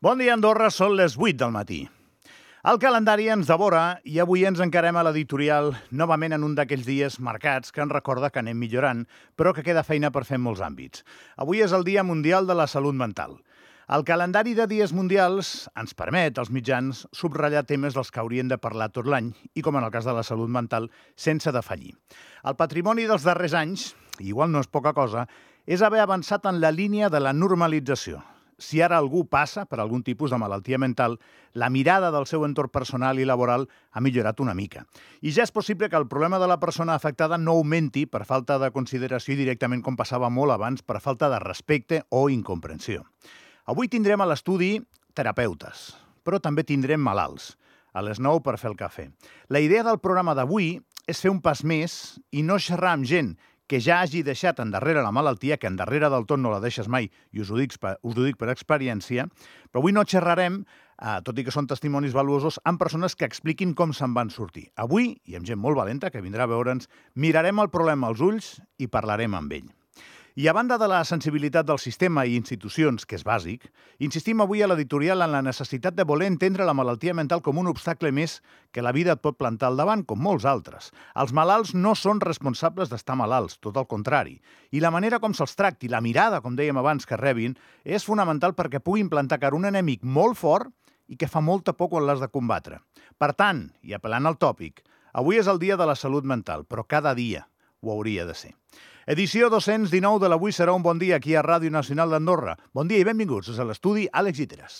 Bon dia, Andorra, són les 8 del matí. El calendari ens devora i avui ens encarem a l'editorial novament en un d'aquells dies marcats que ens recorda que anem millorant, però que queda feina per fer en molts àmbits. Avui és el Dia Mundial de la Salut Mental. El calendari de dies mundials ens permet, als mitjans, subratllar temes dels que haurien de parlar tot l'any i, com en el cas de la salut mental, sense defallir. El patrimoni dels darrers anys, igual no és poca cosa, és haver avançat en la línia de la normalització. Si ara algú passa per algun tipus de malaltia mental, la mirada del seu entorn personal i laboral ha millorat una mica. I ja és possible que el problema de la persona afectada no augmenti per falta de consideració i directament com passava molt abans per falta de respecte o incomprensió. Avui tindrem a l'estudi terapeutes, però també tindrem malalts, a les 9 per fer el cafè. La idea del programa d'avui és fer un pas més i no xerrar amb gent que ja hagi deixat endarrere la malaltia, que endarrere del tot no la deixes mai, i us ho dic per experiència, però avui no xerrarem, tot i que són testimonis valuosos, amb persones que expliquin com se'n van sortir. Avui, i amb gent molt valenta que vindrà a veure'ns, mirarem el problema als ulls i parlarem amb ell. I a banda de la sensibilitat del sistema i institucions, que és bàsic, insistim avui a l'editorial en la necessitat de voler entendre la malaltia mental com un obstacle més que la vida et pot plantar al davant, com molts altres. Els malalts no són responsables d'estar malalts, tot el contrari. I la manera com se'ls tracti, la mirada, com dèiem abans, que rebin, és fonamental perquè puguin plantar cara un enemic molt fort i que fa molta por quan l'has de combatre. Per tant, i apel·lant al tòpic, avui és el dia de la salut mental, però cada dia ho hauria de ser. Edició 219 de l'Avui serà un bon dia aquí a Ràdio Nacional d'Andorra. Bon dia i benvinguts a l'estudi Àlex Lliteres.